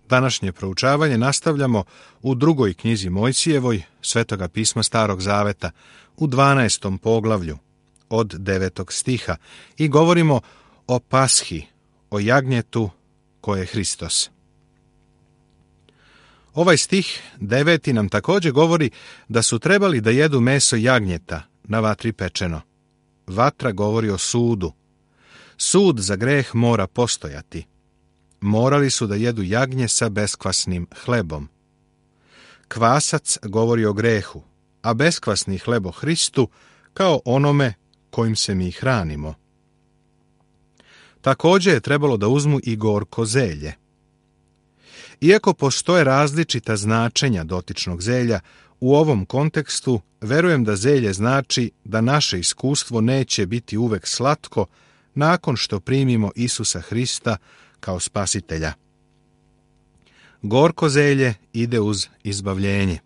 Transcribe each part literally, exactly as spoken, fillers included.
Današnje proučavanje nastavljamo u drugoj knjizi Mojsijevoj, Svetoga pisma Starog Zaveta, u dvanaestom poglavlju, od devetog stiha, i govorimo o Pashi, o jagnjetu koje je Hristos. Ovaj stih deveti nam također govori da su trebali da jedu meso jagnjeta na vatri pečeno. Vatra govori o sudu. Sud za greh mora postojati. Morali su da jedu jagnje sa beskvasnim hlebom. Kvasac govori o grehu, a beskvasni hleb o Hristu kao onome kojim se mi hranimo. Također je trebalo da uzmu i gorko zelje. Iako postoje različita značenja dotičnog zelja, u ovom kontekstu verujem da zelje znači da naše iskustvo neće biti uvek slatko nakon što primimo Isusa Hrista kao spasitelja. Gorko zelje ide uz izbavljenje.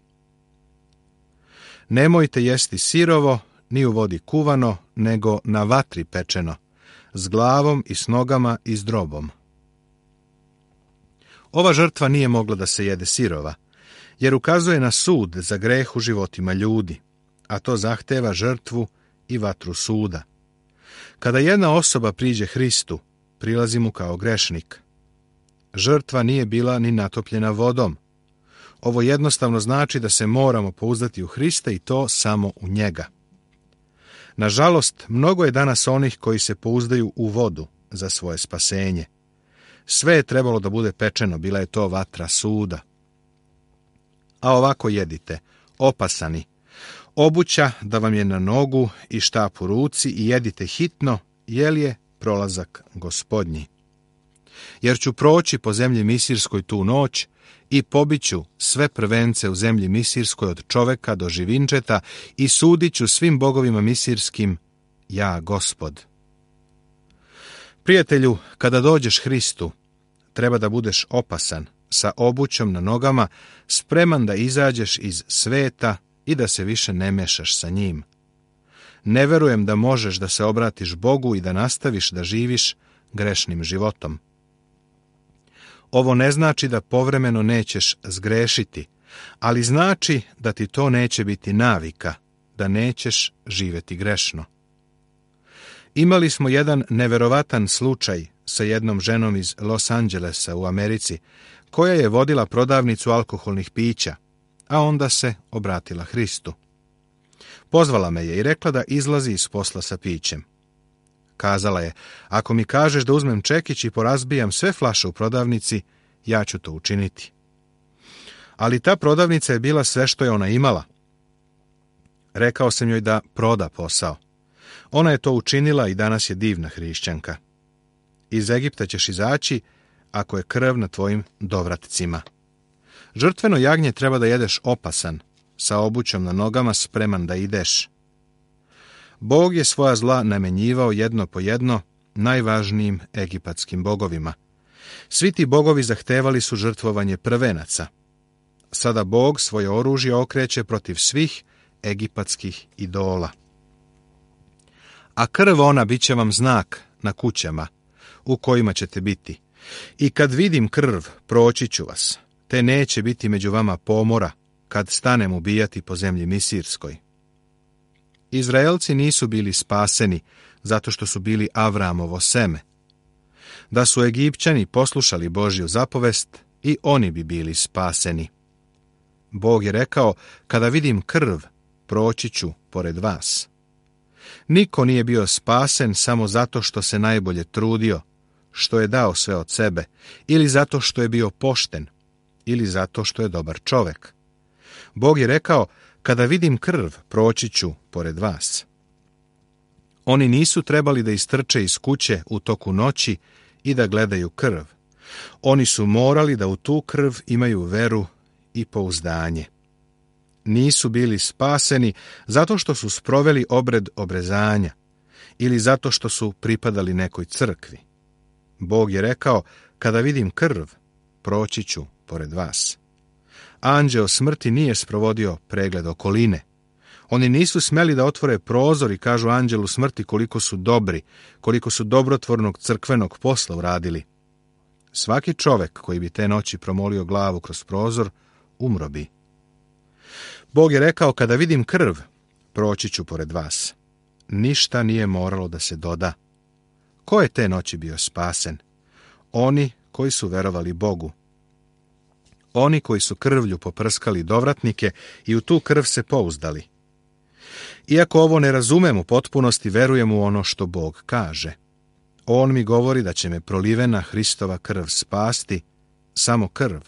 Nemojte jesti sirovo, ni u vodi kuvano, nego na vatri pečeno, s glavom i s nogama i s drobom. Ova žrtva nije mogla da se jede sirova, jer ukazuje na sud za greh u životima ljudi, a to zahteva žrtvu i vatru suda. Kada jedna osoba priđe Hristu, prilazi mu kao grešnik. Žrtva nije bila ni natopljena vodom. Ovo jednostavno znači da se moramo pouzdati u Hrista i to samo u njega. Nažalost, mnogo je danas onih koji se pouzdaju u vodu za svoje spasenje. Sve je trebalo da bude pečeno, bila je to vatra suda. A ovako jedite, opasani, obuća da vam je na nogu i štap u ruci i jedite hitno, jer je prolazak Gospodnji. Jer ću proći po zemlji Misirskoj tu noć i pobiću sve prvence u zemlji Misirskoj od čoveka do živinčeta i sudit ću svim bogovima misirskim, ja Gospod. Prijatelju, kada dođeš Hristu, treba da budeš opasan, sa obućom na nogama, spreman da izađeš iz sveta i da se više ne mešaš sa njim. Ne verujem da možeš da se obratiš Bogu i da nastaviš da živiš grešnim životom. Ovo ne znači da povremeno nećeš zgrešiti, ali znači da ti to neće biti navika, da nećeš živjeti grešno. Imali smo jedan neverovatan slučaj sa jednom ženom iz Los Angelesa u Americi, koja je vodila prodavnicu alkoholnih pića, a onda se obratila Hristu. Pozvala me je i rekla da izlazi iz posla sa pićem. Kazala je, ako mi kažeš da uzmem čekić i porazbijam sve flaše u prodavnici, ja ću to učiniti. Ali ta prodavnica je bila sve što je ona imala. Rekao sam joj da proda posao. Ona je to učinila i danas je divna hrišćanka. Iz Egipta ćeš izaći ako je krv na tvojim dovratcima. Žrtveno jagnje treba da jedeš opasan, sa obućom na nogama, spreman da ideš. Bog je svoja zla namenjivao jedno po jedno najvažnijim egipatskim bogovima. Svi ti bogovi zahtevali su žrtvovanje prvenaca. Sada Bog svoje oružje okreće protiv svih egipatskih idola. A krv ona bit će vam znak na kućama u kojima ćete biti. I kad vidim krv, proći ću vas, te neće biti među vama pomora kad stanem ubijati po zemlji Misirskoj. Izraelci nisu bili spaseni zato što su bili Avramovo seme. Da su Egipćani poslušali Božju zapovest, i oni bi bili spaseni. Bog je rekao, kada vidim krv, proći ću pored vas. Niko nije bio spasen samo zato što se najbolje trudio, što je dao sve od sebe, ili zato što je bio pošten, ili zato što je dobar čovek. Bog je rekao, kada vidim krv, proći ću pored vas. Oni nisu trebali da istrče iz kuće u toku noći i da gledaju krv. Oni su morali da u tu krv imaju veru i pouzdanje. Nisu bili spaseni zato što su sproveli obred obrezanja ili zato što su pripadali nekoj crkvi. Bog je rekao, kada vidim krv, proći ću pored vas. Anđeo smrti nije sprovodio pregled okoline. Oni nisu smeli da otvore prozor i kažu anđelu smrti koliko su dobri, koliko su dobrotvornog crkvenog posla uradili. Svaki čovek koji bi te noći promolio glavu kroz prozor, umro bi. Bog je rekao, kada vidim krv, proći ću pored vas. Ništa nije moralo da se doda. Ko je te noći bio spasen? Oni koji su verovali Bogu. Oni koji su krvlju poprskali dovratnike i u tu krv se pouzdali. Iako ovo ne razumem u potpunosti, verujem u ono što Bog kaže. On mi govori da će me prolivena Hristova krv spasti, samo krv,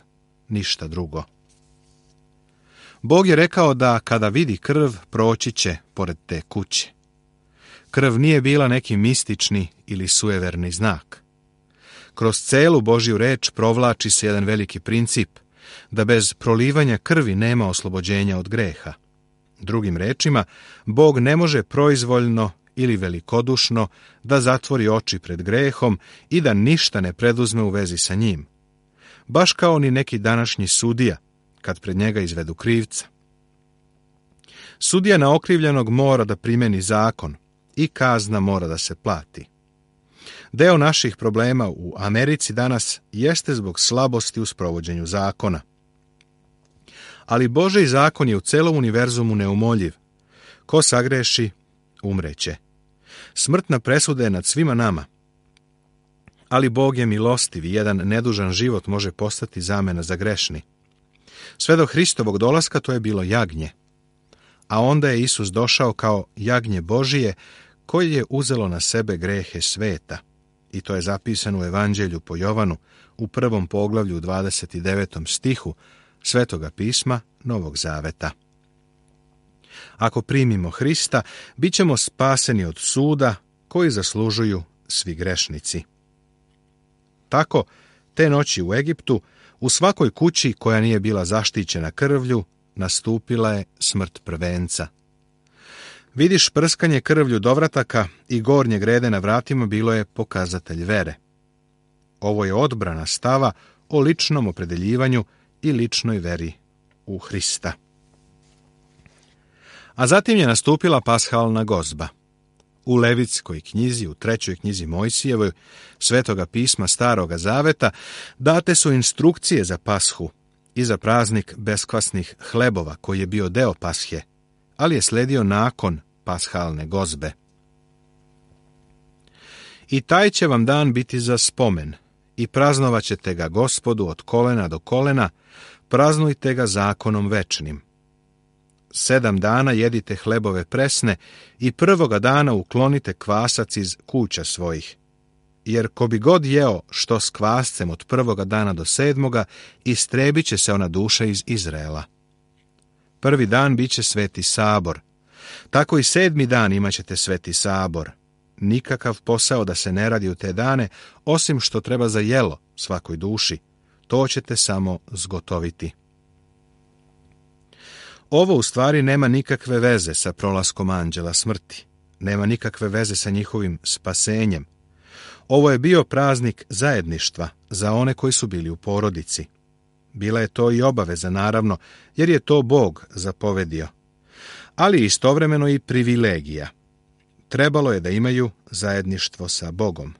ništa drugo. Bog je rekao da kada vidi krv, proći će pored te kuće. Krv nije bila neki mistični ili sujeverni znak. Kroz celu Božju reč provlači se jedan veliki princip, da bez prolivanja krvi nema oslobođenja od greha. Drugim rečima, Bog ne može proizvoljno ili velikodušno da zatvori oči pred grehom i da ništa ne preduzme u vezi sa njim. Baš kao ni neki današnji sudija, kad pred njega izvedu krivca. Sudija na okrivljenog mora da primeni zakon i kazna mora da se plati. Deo naših problema u Americi danas jeste zbog slabosti u sprovođenju zakona. Ali Božji zakon je u celom univerzumu neumoljiv. Ko sagreši, umreće. Smrtna presuda je nad svima nama. Ali Bog je milostiv i jedan nedužan život može postati zamena za grešni. Sve do Hristovog dolaska to je bilo jagnje. A onda je Isus došao kao jagnje Božije koje je uzelo na sebe grehe sveta. I to je zapisano u Evanđelju po Jovanu u prvom poglavlju dvadeset devetom stihu Svetoga pisma Novog Zaveta. Ako primimo Hrista, bit ćemo spaseni od suda koji zaslužuju svi grešnici. Tako, te noći u Egiptu, u svakoj kući koja nije bila zaštićena krvlju, nastupila je smrt prvenca. Vidiš, prskanje krvlju dovrataka i gornje grede na vratima bilo je pokazatelj vere. Ovo je odbrana stava o ličnom opredeljivanju i ličnoj veri u Hrista. A zatim je nastupila pashalna gozba. U Levitskoj knjizi, u trećoj knjizi Mojsijevoj, Svetoga pisma Staroga Zaveta, date su instrukcije za pashu i za praznik beskvasnih hlebova, koji je bio deo pashe, ali je sledio nakon pashalne gozbe. I taj će vam dan biti za spomen, i praznovat ćete ga Gospodu od kolena do kolena, praznujte ga zakonom večnim. Sedam dana jedite hlebove presne i prvoga dana uklonite kvasac iz kuća svojih. Jer ko bi god jeo što s kvascem od prvoga dana do sedmoga, istrebit će se ona duša iz Izraela. Prvi dan bit će sveti sabor. Tako i sedmi dan imat ćete sveti sabor. Nikakav posao da se ne radi u te dane, osim što treba za jelo svakoj duši. To ćete samo zgotoviti. Ovo u stvari nema nikakve veze sa prolaskom anđela smrti. Nema nikakve veze sa njihovim spasenjem. Ovo je bio praznik zajedništva za one koji su bili u porodici. Bila je to i obaveza, naravno, jer je to Bog zapovedio. Ali istovremeno i privilegija. Trebalo je da imaju zajedništvo sa Bogom.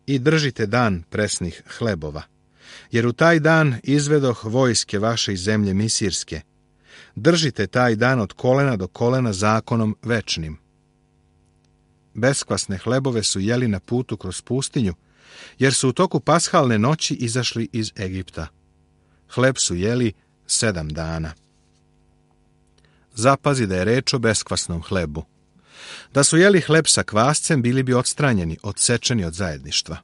I držite dan presnih hlebova, jer u taj dan izvedoh vojske vaše iz zemlje misirske. Držite taj dan od kolena do kolena zakonom večnim. Beskvasne hlebove su jeli na putu kroz pustinju, jer su u toku pashalne noći izašli iz Egipta. Hleb su jeli sedam dana. Zapazi da je reč o beskvasnom hlebu. Da su jeli hleb sa kvascem, bili bi odstranjeni, odsečeni od zajedništva.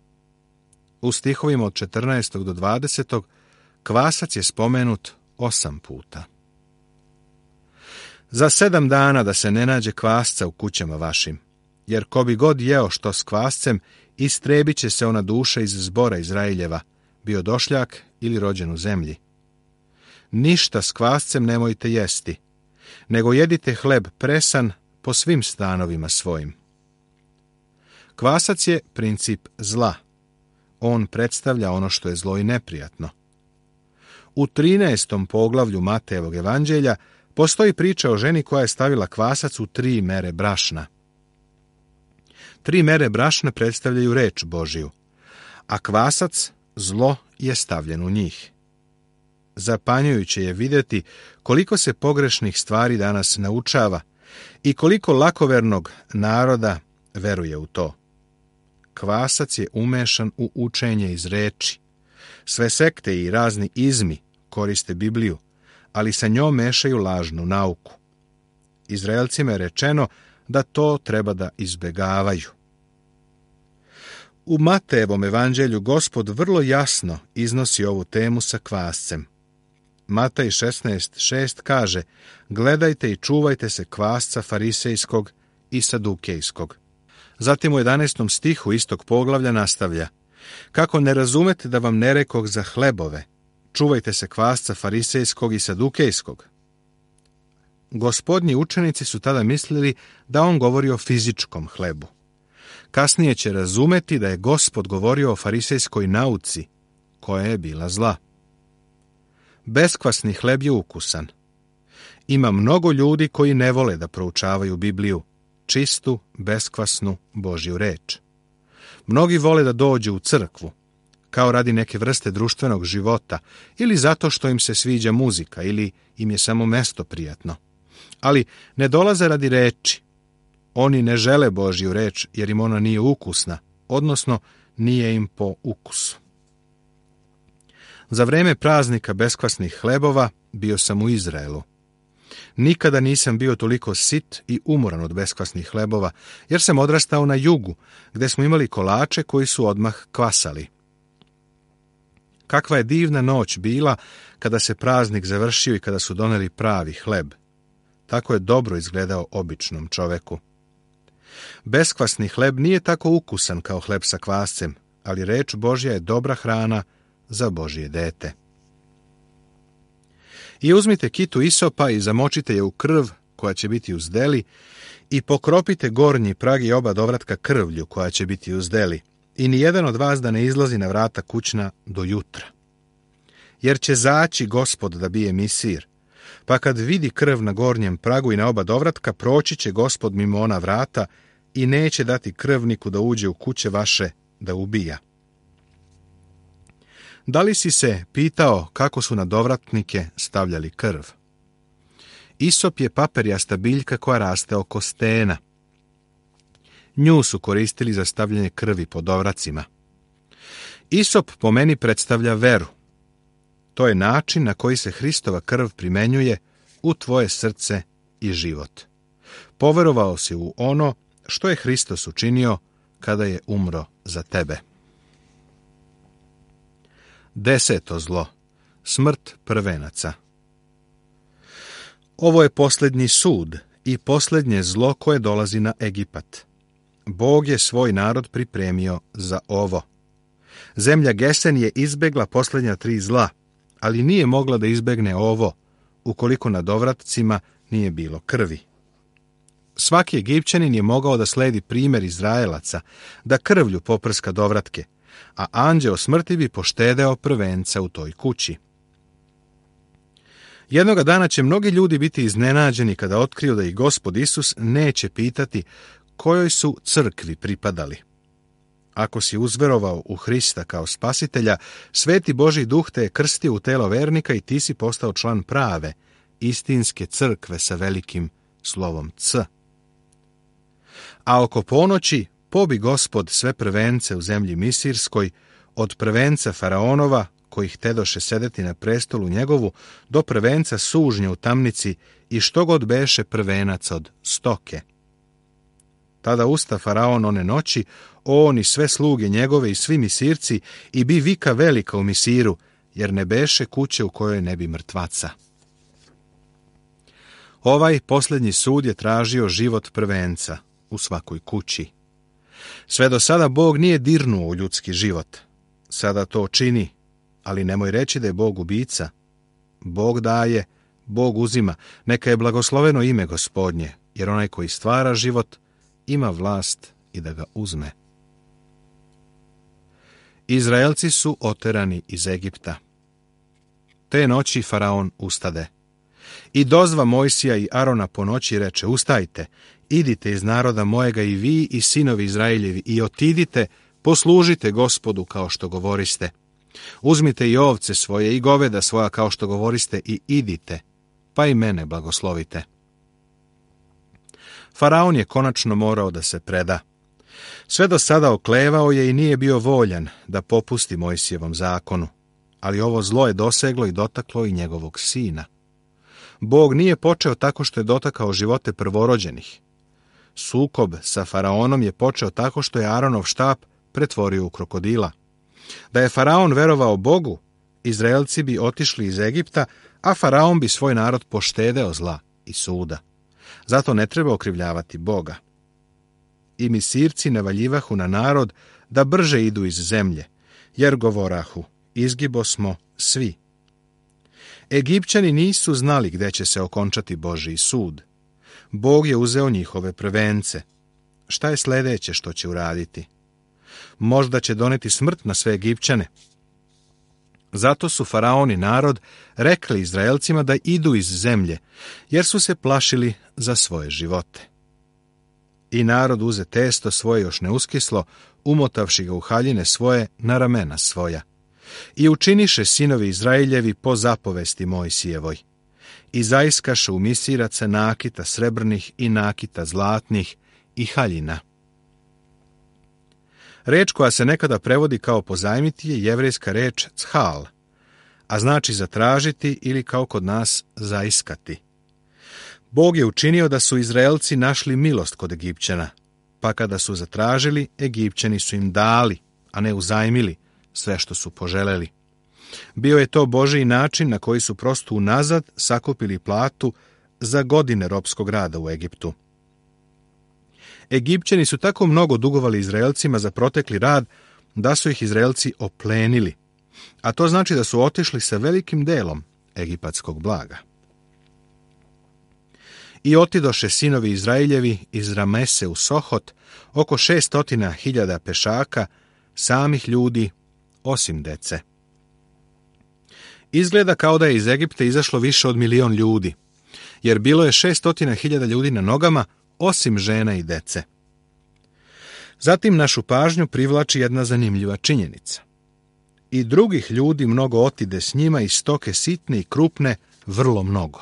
U stihovima od četrnaestog do dvadesetog kvasac je spomenut osam puta. Za sedam dana da se ne nađe kvasca u kućama vašim, jer ko bi god jeo što s kvascem, istrebit će se ona duša iz zbora Izraeljeva, bio došljak ili rođen u zemlji. Ništa s kvascem nemojte jesti, nego jedite hleb presan po svim stanovima svojim. Kvasac je princip zla. On predstavlja ono što je zlo i neprijatno. U trinaestom poglavlju Matejevog evanđelja postoji priča o ženi koja je stavila kvasac u tri mere brašna. Tri mere brašna predstavljaju reč Božiju, a kvasac zlo je stavljen u njih. Zapanjujuće je vidjeti koliko se pogrešnih stvari danas naučava i koliko lakovernog naroda veruje u to. Kvasac je umešan u učenje iz reči. Sve sekte i razni izmi koriste Bibliju, ali sa njom mešaju lažnu nauku. Izraelcima je rečeno da to treba da izbegavaju. U Matejevom evanđelju Gospod vrlo jasno iznosi ovu temu sa kvascem. Matej šesnaest šest kaže: gledajte i čuvajte se kvasca farisejskog i sadukejskog. Zatim u jedanaestom stihu istog poglavlja nastavlja: kako ne razumete da vam ne rekoh za hlebove, čuvajte se kvasca farisejskog i sadukejskog. Gospodnji učenici su tada mislili da on govori o fizičkom hlebu. Kasnije će razumeti da je Gospod govorio o farisejskoj nauci, koja je bila zla. Beskvasni hleb je ukusan. Ima mnogo ljudi koji ne vole da proučavaju Bibliju, čistu, beskvasnu Božju reč. Mnogi vole da dođu u crkvu, kao radi neke vrste društvenog života, ili zato što im se sviđa muzika, ili im je samo mesto prijatno. Ali ne dolaze radi reči. Oni ne žele Božju reč, jer im ona nije ukusna, odnosno nije im po ukusu. Za vreme praznika beskvasnih hlebova bio sam u Izraelu. Nikada nisam bio toliko sit i umoran od beskvasnih hlebova, jer sam odrastao na jugu, gdje smo imali kolače koji su odmah kvasali. Kakva je divna noć bila kada se praznik završio i kada su doneli pravi hleb. Tako je dobro izgledao običnom čoveku. Beskvasni hleb nije tako ukusan kao hleb sa kvascem, ali reč Božja je dobra hrana za Božje dete. I uzmite kitu isopa i zamočite je u krv koja će biti uz deli i pokropite gornji prag i oba dovratka krvlju koja će biti uz deli i nijedan od vas da ne izlazi na vrata kućna do jutra. Jer će zaći Gospod da bije misir, pa kad vidi krv na gornjem pragu i na oba dovratka, proći će Gospod mimo ona vrata i neće dati krvniku da uđe u kuće vaše da ubija. Da li si se pitao kako su na dovratnike stavljali krv? Isop je paperjasta biljka koja raste oko stena. Nju su koristili za stavljanje krvi po dovracima. Isop po meni predstavlja veru. To je način na koji se Hristova krv primenjuje u tvoje srce i život. Poverovao si u ono što je Hristos učinio kada je umro za tebe. Deseto zlo. Smrt prvenaca. Ovo je posljednji sud i posljednje zlo koje dolazi na Egipat. Bog je svoj narod pripremio za ovo. Zemlja Gesen je izbegla posljednja tri zla, ali nije mogla da izbegne ovo, ukoliko na dovratcima nije bilo krvi. Svaki Egipćanin je mogao da sledi primjer Izraelaca, da krvlju poprska dovratke, a anđeo smrti bi poštedeo prvenca u toj kući. Jednoga dana će mnogi ljudi biti iznenađeni kada otkriju da ih Gospod Isus neće pitati kojoj su crkvi pripadali. Ako si uzverovao u Hrista kao spasitelja, Sveti Božji duh te je krstio u telo vernika i ti si postao član prave, istinske crkve sa velikim slovom C. A oko ponoći pobi Gospod sve prvence u zemlji Misirskoj, od prvenca Faraonova, kojih tedoše sedeti na prestolu njegovu, do prvenca sužnja u tamnici i što god beše prvenac od stoke. Tada usta Faraon one noći, on i sve sluge njegove i svi Misirci, i bi vika velika u Misiru, jer ne beše kuće u kojoj ne bi mrtvaca. Ovaj posljednji sud je tražio život prvenca u svakoj kući. Sve do sada Bog nije dirnuo u ljudski život. Sada to čini, ali nemoj reći da je Bog ubica. Bog daje, Bog uzima, neka je blagosloveno ime Gospodnje, jer onaj koji stvara život ima vlast i da ga uzme. Izraelci su oterani iz Egipta. Te noći Faraon ustade. I dozva Mojsija i Arona po noći reče: ustajte, idite iz naroda mojega i vi i sinovi Izraeljevi i otidite, poslužite Gospodu kao što govoriste. Uzmite i ovce svoje i goveda svoja kao što govoriste i idite, pa i mene blagoslovite. Faraon je konačno morao da se preda. Sve do sada oklevao je i nije bio voljan da popusti Mojsijevom zakonu, ali ovo zlo je doseglo i dotaklo i njegovog sina. Bog nije počeo tako što je dotakao živote prvorođenih. Sukob sa Faraonom je počeo tako što je Aronov štap pretvorio u krokodila. Da je Faraon verovao Bogu, Izraelci bi otišli iz Egipta, a Faraon bi svoj narod poštedeo zla i suda. Zato ne treba okrivljavati Boga. I Misirci navaljivahu na narod da brže idu iz zemlje, jer govorahu, izgibo smo svi. Egipćani nisu znali gde će se okončati Božji sud. Bog je uzeo njihove prvence. Šta je sledeće što će uraditi? Možda će doneti smrt na sve Egipćane. Zato su Faraon i narod rekli Izraelcima da idu iz zemlje, jer su se plašili za svoje živote. I narod uze testo svoje još neuskislo, umotavši ga u haljine svoje na ramena svoja. I učiniše sinovi Izraeljevi po zapovesti Mojsijevoj. I zaiskaše u Misiraca nakita srebrnih i nakita zlatnih i haljina. Reč koja se nekada prevodi kao pozajmiti je jevrejska reč chal, a znači zatražiti ili kao kod nas zaiskati. Bog je učinio da su Izraelci našli milost kod Egipćana, pa kada su zatražili, Egipćani su im dali, a ne uzajmili sve što su poželeli. Bio je to Božji način na koji su prosto unazad sakupili platu za godine ropskog rada u Egiptu. Egipćani su tako mnogo dugovali Izraelcima za protekli rad da su ih Izraelci oplenili, a to znači da su otišli sa velikim delom egipatskog blaga. I otidoše sinovi Izraeljevi iz Ramese u Sohot, oko šestotina hiljada pešaka, samih ljudi, osim dece. Izgleda kao da je iz Egipta izašlo više od milion ljudi, jer bilo je šestotina hiljada ljudi na nogama, osim žena i dece. Zatim našu pažnju privlači jedna zanimljiva činjenica. I drugih ljudi mnogo otide s njima i stoke sitne i krupne, vrlo mnogo.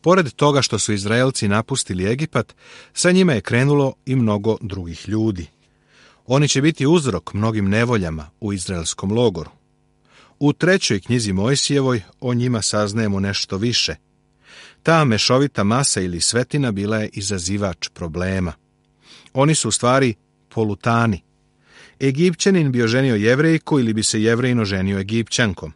Pored toga što su Izraelci napustili Egipat, sa njima je krenulo i mnogo drugih ljudi. Oni će biti uzrok mnogim nevoljama u izraelskom logoru. U trećoj knjizi Mojsijevoj o njima saznajemo nešto više. Ta mešovita masa ili svetina bila je izazivač problema. Oni su u stvari polutani. Egipćanin bi oženio Jevrejku ili bi se Jevrejin oženio Egipćankom.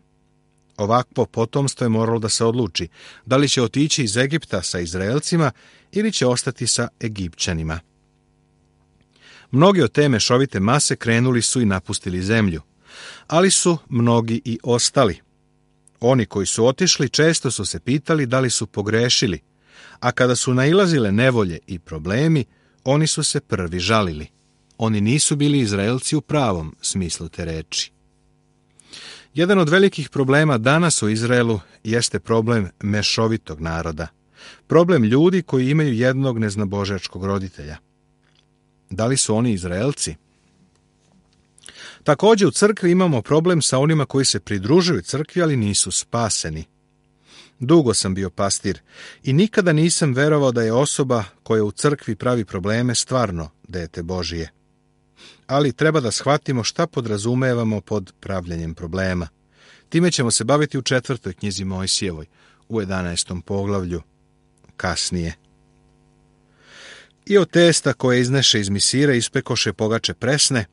Ovakvo potomstvo je moralo da se odluči da li će otići iz Egipta sa Izraelcima ili će ostati sa Egipćanima. Mnogi od te mešovite mase krenuli su i napustili zemlju, ali su mnogi i ostali. Oni koji su otišli često su se pitali da li su pogrešili, a kada su nailazile nevolje i problemi, oni su se prvi žalili. Oni nisu bili Izraelci u pravom smislu te reči. Jedan od velikih problema danas u Izraelu jeste problem mešovitog naroda. Problem ljudi koji imaju jednog neznabožačkog roditelja. Da li su oni Izraelci? Također u crkvi imamo problem sa onima koji se pridružuju crkvi, ali nisu spaseni. Dugo sam bio pastir i nikada nisam verovao da je osoba koja u crkvi pravi probleme stvarno dete Božije. Ali treba da shvatimo šta podrazumevamo pod pravljenjem problema. Time ćemo se baviti u četvrtoj knjizi Mojsijevoj, u jedanaestom poglavlju, kasnije. I od testa koje izneše iz Misira ispekoše pogače presne,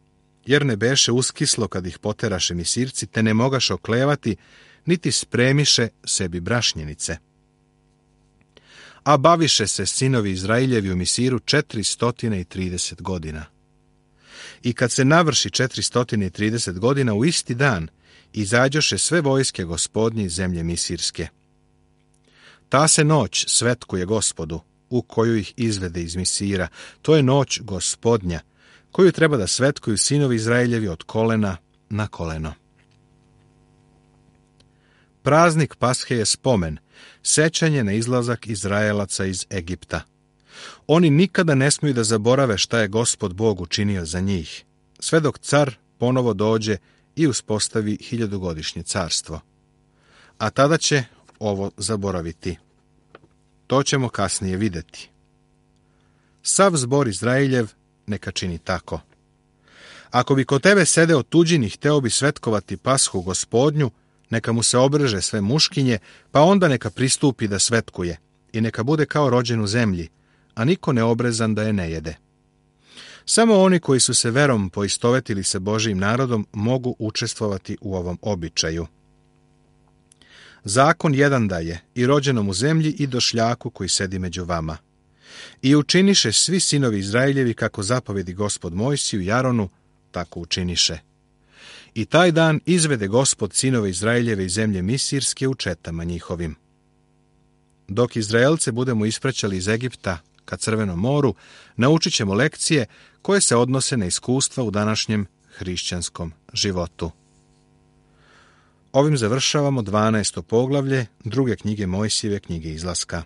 jer ne beše uskislo kad ih poteraše Misirci, te ne mogaše oklevati, niti spremiše sebi brašnjenice. A baviše se sinovi Izraeljevi u Misiru četiristotine i trideset godina. I kad se navrši četiristotine i trideset godina, u isti dan izađoše sve vojske Gospodnje iz zemlje Misirske. Ta se noć svetkuje Gospodu, u koju ih izvede iz Misira. To je noć Gospodnja, koju treba da svetkuju sinovi Izraeljevi od kolena na koleno. Praznik Pashe je spomen, sećanje na izlazak Izraelaca iz Egipta. Oni nikada ne smiju da zaborave šta je Gospod Bog učinio za njih, sve dok car ponovo dođe i uspostavi hiljadugodišnje carstvo. A tada će ovo zaboraviti. To ćemo kasnije vidjeti. Sav zbor Izraeljev neka čini tako. Ako bi kod tebe sedeo tuđin i hteo bi svetkovati Pashu Gospodnju, neka mu se obreže sve muškinje, pa onda neka pristupi da svetkuje i neka bude kao rođen u zemlji, a niko neobrezan da je ne jede. Samo oni koji su se verom poistovetili se Božijim narodom mogu učestvovati u ovom običaju. Zakon jedan daje i rođenom u zemlji i došljaku koji sedi među vama. I učiniše svi sinovi Izraeljevi kako zapovedi Gospod Mojsiju i Aronu, tako učiniše. I taj dan izvede Gospod sinove Izraeljeve iz zemlje Misirske u četama njihovim. Dok Izraelce budemo ispraćali iz Egipta ka Crvenom moru, naučit ćemo lekcije koje se odnose na iskustva u današnjem hrišćanskom životu. Ovim završavamo dvanaesto poglavlje druge knjige Mojsijeve knjige Izlaska.